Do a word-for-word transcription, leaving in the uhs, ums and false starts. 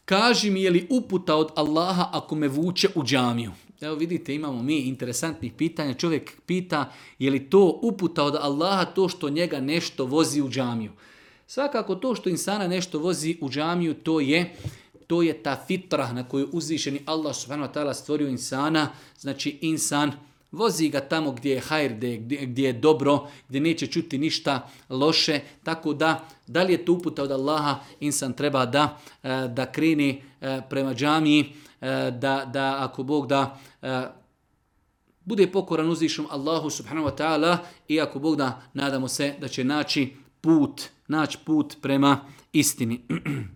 kaži mi je li uputa od Allaha ako me vuče u džamiju. Evo vidite, imamo mi interesantnih pitanja. Čovjek pita je li to uputa od Allaha to što njega nešto vozi u džamiju. Svakako to što insana nešto vozi u džamiju, to je to je ta fitra na koju uzvišeni Allah subhanahu wa ta'ala stvorio insana. Znači insan vozi ga tamo gdje je hajr, gdje, gdje je dobro, gdje neće čuti ništa loše. Tako da, da li je to uputa od Allaha, insan treba da, da kreni prema džamiji, da, da ako Bog da bude pokoran uzvišenom Allahu subhanahu wa ta'ala i ako Bog da, nadamo se da će naći put, naći put prema istini.